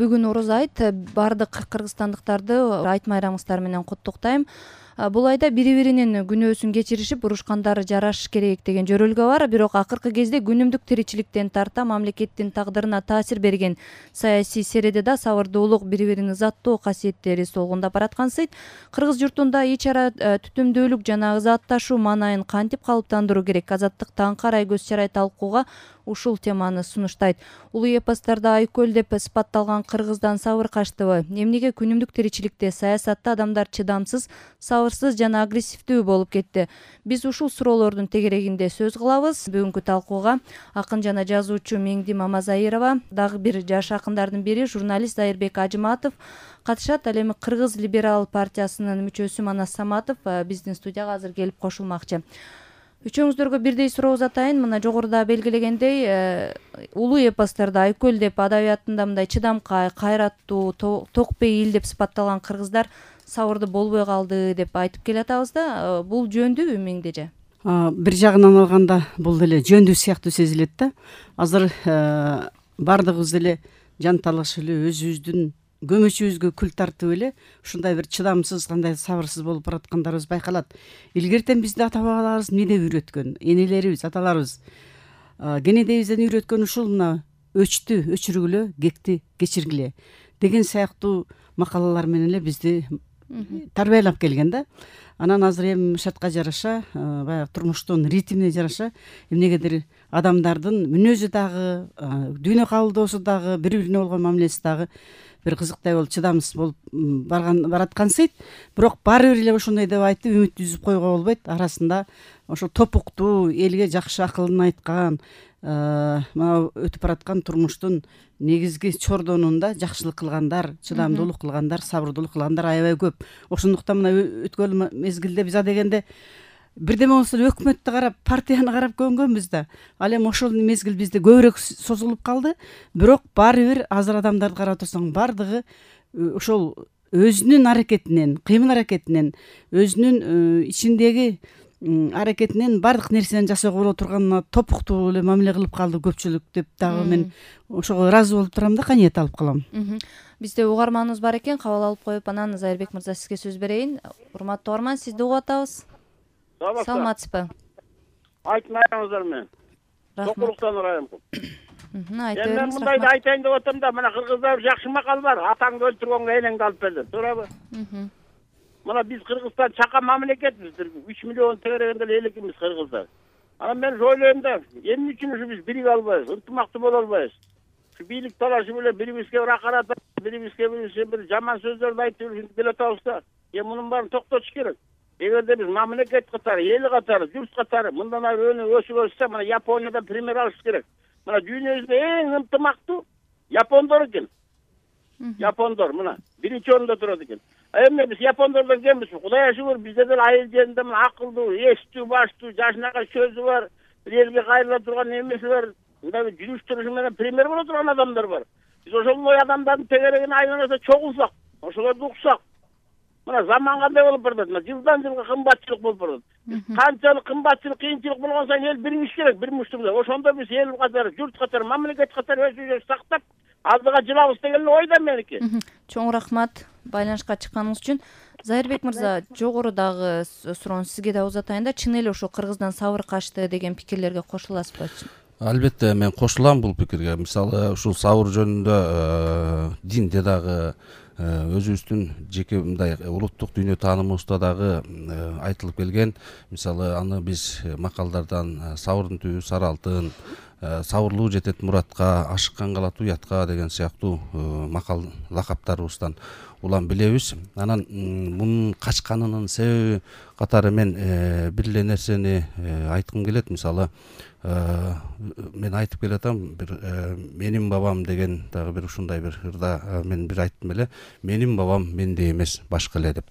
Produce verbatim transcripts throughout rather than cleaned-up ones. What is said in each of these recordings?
бүгүн Орозо айт. Бардык кыргызстандыктарды айт майрамыңыздар менен куттуктайм. Бул айда бири-биринин күнөөсүн кечиришип, урушкандары жарашыш керек деген жөрөлгө бар. Бирок акыркы кезде күнүмдүк тиричиликтен тарта мамлекеттин тагдырына таасир берген саясий середе да сабырдуулук, бири-бирин ызаттоо касиеттери солгундап бараткансыйт. Кыргыз журтунда ич ара түтүмдүүлүк жана ызаатташуу маанайын кантип калыптандыруу керек? Азаттык таңкы арай көз чарай талкууга ушул теманы сунуштайт. Улуу эпостарда айкөл деп сыпатталган кыргыздан сабыр качтыбы? Эмнеге күнүмдүк тиричиликте, саясатта адамдар чыдамсыз, сабырсыз жана агрессивдүү болуп кетти? Биз ушул суроолордун тегерегинде сөз кылабыз. Бүгүнкү талкууга акын жана жазуучу Меңди Мамазайырова, дагы бир жаш акындардын бири журналист Зайырбек Ажыматов катышат. Ал эми Кыргыз либерал партиясынын мүчөсү Манас Саматов биздин студияга азыр келип кошулмакчы. Үчөөңүздөргө бирдей суроо узатайын. Мына жогоруда белгилегендей, улуу эпостарда айкөл деп, адабиятында мындай чыдамкай, кайраттуу, токпейил деп сыпатталган кыргыздар сабырды болбой калды деп айтып келатабыз да. Бул жөндүүбү Меңдеже? Бир жагынан алганда бул деле жөндүү сыяктуу сезилет да. Азыр бардыгыбыз эле жанталашып эле өзүбүздүн көмөчүбүзгө күл тартып эле ушундай бир чыдамсыз, кандай сабырсыз болуп бараткандарыбыз байкалат. Илгертен бизди ата бабаларыбыз эмне деп үйрөткөн? Энелерибиз, аталарыбыз кенедейибизден үйрөткөн ушул мына өчтү өчүргүлө, кекти кечиргиле деген сыяктуу макалалар менен эле бизди тарбиялап келген да. Анан азыр эми шартка жараша, баягы турмуштун ритмине жараша эмнегедир адамдардын мүнөзү дагы, дүйнө кабылдоосу дагы, бири-бирине болгон мамилеси дагы бир кызыктай болуп, чыдамсыз болуп барган бараткансыйт. Бирок баары бир эле ошондой деп айтып үмүт үзүп койгого болбойт. Арасында ошо топуктуу, элге жакшы акылын айткан, мына өтүп бараткан турмуштун негизги чордонунда жакшылык кылгандар, чыдамдуулук кылгандар, сабырдуулук кылгандар аябай көп. Ошондуктан мына өткөн мезгилде биз адегенде бирдеме болсо эле өкмөттү карап, партияны карап көнгөнбүз да. Ал эми ошол мезгил бизде көбүрөөк созулуп калды. Бирок баары бир азыр адамдарды карап турсаң, бардыгы ошол өзүнүн аракетинен, кыймыл аракетинен, өзүнүн ичиндеги аракетинен бардык нерсени жасоого боло турган топуктуу эле мамиле кылып калды көпчүлүк деп дагы мен ошого ыраазы болуп турам да, каниет алып калам. Бизде угарманыбыз бар экен, кабыл алып коюп, анан Зайырбек мырза сизге сөз берейин. Урматтуу угарман, сизди угуп атабыз. Саламатсызбы? Айт майрамыңыздар менен. Сокуруктан урайым. Айта бериңиз. Мен мындайды айтайын деп атам да, мына кыргыздар жакшы макал бар. Атаңды өлтүргөнгө энеңди алып бер деп. Туурабы? Мына биз Кыргызстан чака мамлекетбиз. үч миллион тегерегинде эле эликмиз кыргыздар. Анан мен ойлойм да, эмне үчүн ушу биз бириге албайбыз, ынтымактуу боло албайбыз? Ушу бийлик талашып эле бирибизге бир акарат, бирибизге бир жаман сөздөрдү айтып жүрүп келе атабыз да. Эми мунун баарын токтотуш керек. Эгерде биз мамлекет катары, эл катары, журт катары мындан ары өсүп өссө, мына Япониядан пример алыш керек. Мына дүйнөбүздө эң ынтымактуу япондор экен. Япондор мына биринчи орунда турат экен. Эми биз япондордон кембиз? Кудайга шүгүр, бизде деле айыл жеринде мына акылдуу, эстүү, баштуу, жашынакай сөзү бар, элге кайрыла турган эмеси бар. Мындай жүрүш турушу менен пример боло турган адамдар бар. Биз ошондой адамдардын тегерегине айланса чогулсак, ошолорду уксак. Мына заман кандай болуп барат? Мына жылдан жылга кымбатчылык болуп барат. Канчалык кымбатчылык, кыйынчылык болгон сайын эл биригиш керек, бир муштумда. Ошондо биз эл катары, журт катары, мамлекет катары өсүп сактап, алдыга жылабыз деген ойда меники. Чоң рахмат байланышка чыкканыңыз үчүн. Зайырбек мырза, жогорудагы суроону сизге да узатайын да, чын эле ошо кыргыздан сабыр качты деген пикирлерге кошуласызбы? Албетте мен кошулам бул пикирге. Мисалы, ушул сабыр жөнүндө динде дагы, өзүбүздүн жеке мындай улуттук дүйнө таанымыбызда дагы айтылып келген. Мисалы, аны биз макалдардан сабырдын түбү сары алтын, сабырлуу жетет муратка, ашыккан калат уятка деген сыяктуу макал лакаптарыбыздан улам билебиз. Анан мунун качканынын себеби катары мен бир эле нерсени айткым келет. Мисалы, мен айтып келатам, бир менин бабам деген дагы бир ушундай бир ырда мен бир айттым эле. Менин бабам мендей эмес, башка эле деп.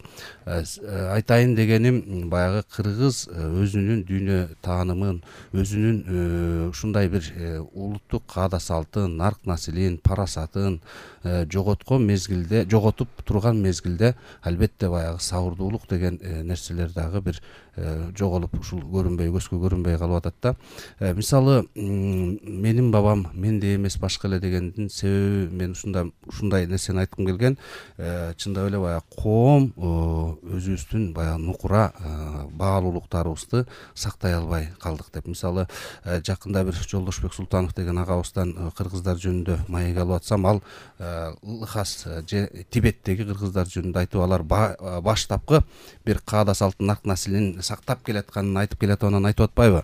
Айтайын дегеним, баягы кыргыз өзүнүн дүйнө таанымын, өзүнүн ушундай бир улуттук каада салтын, нарк насилин, парасатын, жоготкон мезгилде жоготуп турган мезгилде албетте баягы сабырдуулук деген нерселер дагы бир жоголуп ушул көрүнбөй көзгө көрүнбөй калып атат да. Мисалы менин бабам менде эмес башка эле дегендин себеби мен ушундай ушундай нерсени айткым келген. Чындап эле баягы коом өзүбүздүн баягы нукура баалуулуктарыбызды сактай албай калдык деп. Мисалы жакында бир Жолдошбек Султанов деген агабыздан кыргыздар жөнүндө маек алып атсам, ал Лхас же Тибеттеги кыргыздар жөнүндө айтып, алар баштапкы бир каада салттын нарк наслин сактап келатканын айтып келатып, анан айтып атпайбы?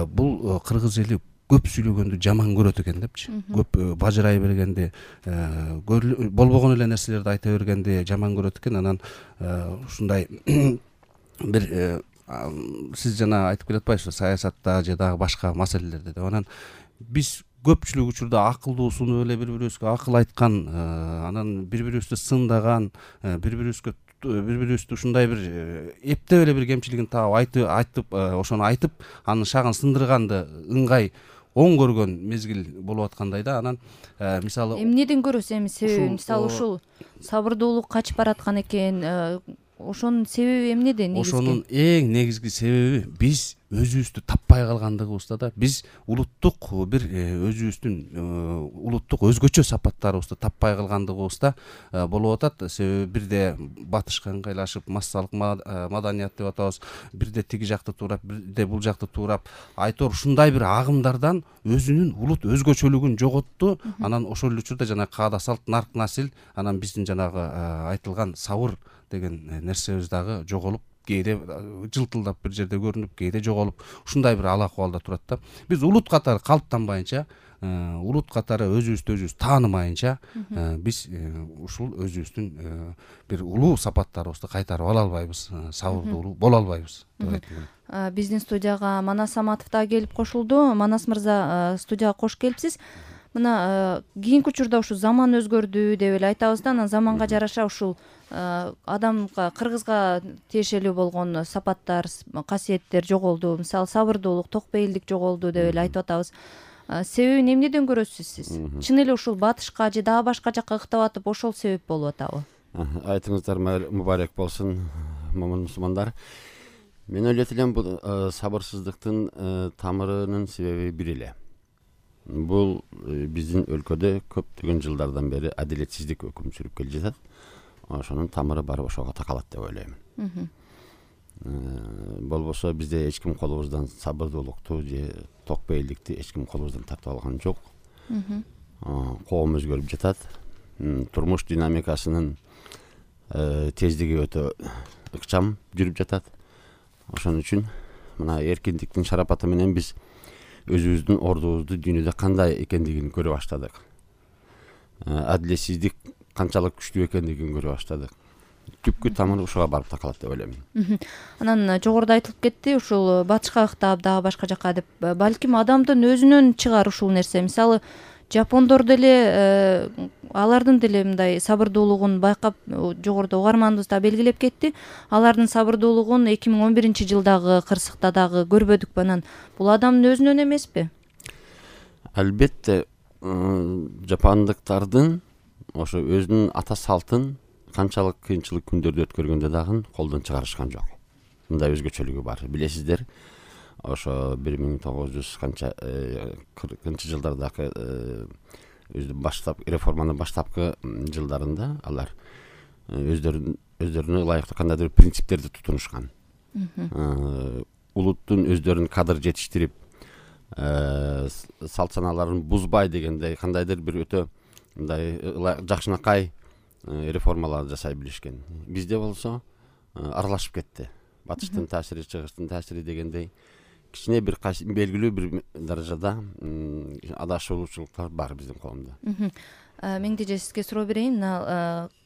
Бул кыргыз эли көп сүйлөгөндү жаман көрөт экен депчи. Көп бажырай бергенди, болбогон эле нерселерди айта бергенди жаман көрөт экен. Анан ушундай бир сиз жана айтып келатпайсызбы, саясатта же дагы башка маселелерде деп. Анан биз көпчүлүк учурда акылдуусуну эле бири-бирибизге акыл айткан, анан бири-бирибизди сындаган, бири-бирибизге бири-бирибизди ушундай бир эптеп эле бир кемчилигин таап айтып айтып ошону айтып анын шагын сындырганды ыңгай оң көргөн мезгил болуп аткандай да. Анан мисалы эмнеден көрөсүз эми себеби? Мисалы ушул сабырдуулук качып бараткан экен, ошонун себеби эмнеде негизги? Ошонун эң негизги себеби биз өзүбүздү таппай калгандыгыбызда да. Биз улуттук бир өзүбүздүн улуттук өзгөчө сапаттарыбызды таппай калгандыгыбызда болуп атат. Себеби бирде батышка ыңгайлашып массалык маданият деп атабыз, бирде тиги жакты туурап, бирде бул жакты туурап, айтор ушундай бир агымдардан өзүнүн улут өзгөчөлүгүн жоготту. Анан ошол эле учурда жана каада салт, нарк насил, анан биздин жанагы айтылган сабыр деген нерсебиз дагы жоголуп, кээде жылтылдап бир жерде көрүнүп, кээде жоголуп, ушундай бир ала акыбалда турат да. Биз улут катары калыптанбайынча, улут катары өзүбүздү өзүбүз таанымайынча, биз ушул өзүбүздүн бир улуу сапаттарыбызды кайтарып ала албайбыз, сабырдуулуу боло албайбыз деп айткым келет. Биздин студияга Манас Саматов да келип кошулду. Манас мырза, студияга кош келипсиз. Мына кийинки учурда ушу заман өзгөрдү деп эле айтабыз да, анан заманга жараша ушул адамга, кыргызга тиешелүү болгон сапаттар, касиеттер жоголду. Мисалы сабырдуулук, токпейилдик жоголду деп эле айтып атабыз. Себебин эмнеден көрөсүз сиз? Чын эле ушул батышка же дагы башка жакка ыктап атып, ошол себеп болуп атабы? Айтыңыздар мубарак болсун, момун мусулмандар. Мен ойлойт элем, бул сабырсыздыктын тамырынын себеби бир эле. Бул биздин өлкөдө көптөгөн жылдардан бери адилетсиздик өкүм сүрүп келе жатат. Ошонун тамыры барып ошого такалат деп ойлойм. Болбосо бизде эч ким колубуздан сабырдуулукту же токпейилдикти эч ким колубуздан тартып алган жок. Коом өзгөрүп жатат. Турмуш динамикасынын тездиги өтө ыкчам жүрүп жатат. Ошон үчүн мына эркиндиктин шарапаты менен биз өзүбүздүн ордубузду дүйнөдө кандай экендигин көрө баштадык. Адилетсиздик канчалык күчтүү экендигин көрө баштадык. Түпкү тамыры ушуга барып такалат деп ойлойм. Анан жогоруда айтылып кетти, ушул батышка ыктап, дагы башка жака деп. Балким адамдын өзүнөн чыгар ушул нерсе. Мисалы жапондор деле, алардын деле мындай сабырдуулугун байкап, жогоруда угарманыбыз да белгилеп кетти. Алардын сабырдуулугун эки миң он биринчи жылдагы кырсыкта дагы көрбөдүкпү. Анан бул адамдын өзүнөн эмеспи? Албетте, жапондуктардын ошо өзүнүн ата салтын канчалык кыйынчылык күндөрдү өткөргөндө дагы колдон чыгарышкан жок. Мындай өзгөчөлүгү бар. Билесиздер, ошо бир миң тогуз жүз канча кыркынчы жылдардагы өзү баштап реформанын баштапкы жылдарында алар өздөрүн өздөрүнө ылайыктуу кандайдыр принциптерди тутунушкан. Улуттун өздөрүн кадыр жетиштирип, салт санааларын бузбай дегендей кандайдыр бир өтө мындай жакшынакай реформалар жасай билишкен. Бизде болсо аралашып кетти. Батыштын таасири, чыгыштын таасири дегендей кичине бир белгилүү бир даражада адашуучулуктар бар биздин коомдо. Меңде же сизге суроо берейин.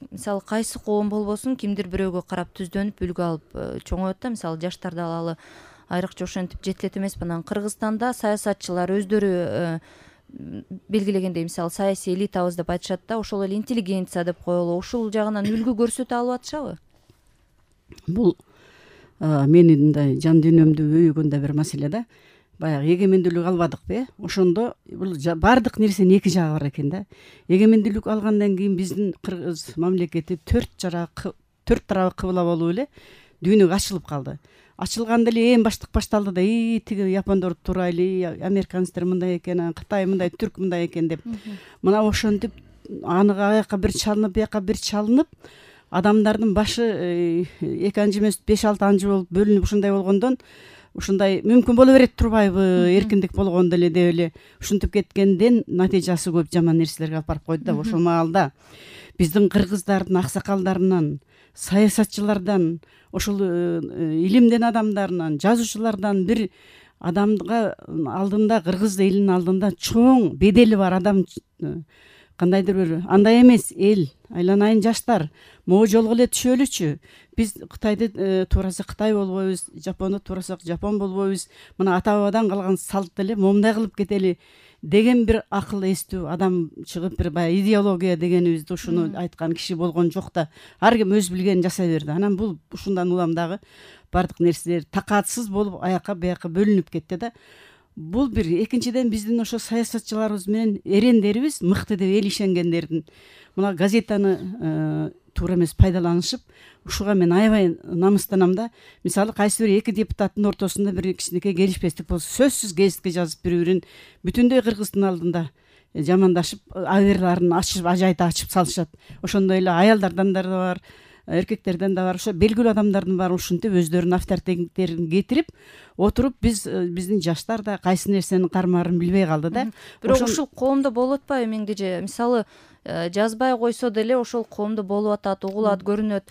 Мисалы кайсы коом болбосун, кимдир бирөөгө карап түздөнүп, үлгү алып чоңоет да. Мисалы жаштарды алалы, айрыкча ошентип жетилет эмеспи. Анан Кыргызстанда саясатчылар өздөрү белгилегендей, мисалы саясий элитабыз деп айтышат да, ошол эле интеллигенция деп коелу. Ушул жагынан үлгү көрсөтө алып атышабы? Бул менин мындай жан дүйнөмдү өйгөн да бир маселе да. баягы эгемендүүлүк албадыкпы, э ошондо бул баардык нерсенин эки жагы бар экен да. Эгемендүүлүк алгандан кийин биздин кыргыз мамлекети төрт жара төрт тарабы кыбыла болуп эле дүйнөгө ачылып калды. Ачылганда эле эң баштык башталды да, и тиги япондор турайлы, американецтер мындай экен, Кытай мындай, Түрк мындай экен деп. Мына ошентип аныга аяка бир чалынып, бияка бир чалынып, адамдардын башы эки анжы эмес беш алты анжы болуп бөлүнүп ушундай болгондон ушундай мүмкүн боло берет турбайбы, эркиндик болгондо эле деп эле ушинтип кеткенден натыйжасы көп жаман нерселерге алып барып койду да. Ошол маалда биздин кыргыздардын аксакалдарынан, саясатчылардан, ошол илимден адамдарынан, жазуучулардан бир адамга алдында, кыргыз элинин алдында чоң бедели бар адам, кандайдыр бир андай эмес эл, айланайын жаштар, могу жолго эле түшөлүчү. Биз Кытайды туураса Кытай болбойбуз, Жапонду туурасак Жапон болбойбуз. Мына ата бабадан калган салт эле момундай кылып кетели деген бир акыл эстүү адам чыгып, бир баягы идеология дегенибизди ушуну айткан киши болгон жок да. Ар ким өз билгенин жасай берди. Анан бул ушундан улам дагы бардык нерселер такаатсыз болуп аяка бияка бөлүнүп кетти да. Бул бир. Экинчиден биздин ошо саясатчыларыбыз менен эрендерибиз мыкты деп эл ишенгендердин мына газетаны туура эмес пайдаланышып, ушуга мен аябай намыстанам да. Мисалы кайсы бир эки депутаттын ортосунда бир кичинекей келишпестик болсо, сөзсүз гезитке жазып бири-бирин бүтүндөй кыргыздын алдында жамандашып, аберларын ачып, ажайта ачып салышат. Ошондой эле аялдардан да бар, эркектерден да бар, ошо белгилүү адамдардын баары ушинтип өздөрүнүн авторитеттерин кетирип отуруп, биз биздин жаштар да кайсы нерсенин кармаарын билбей калды да. Бирок ушул коомдо болуп атпайбы Меңдеже? Мисалы жазбай койсо деле ошол коомдо болуп атат, угулат, көрүнөт.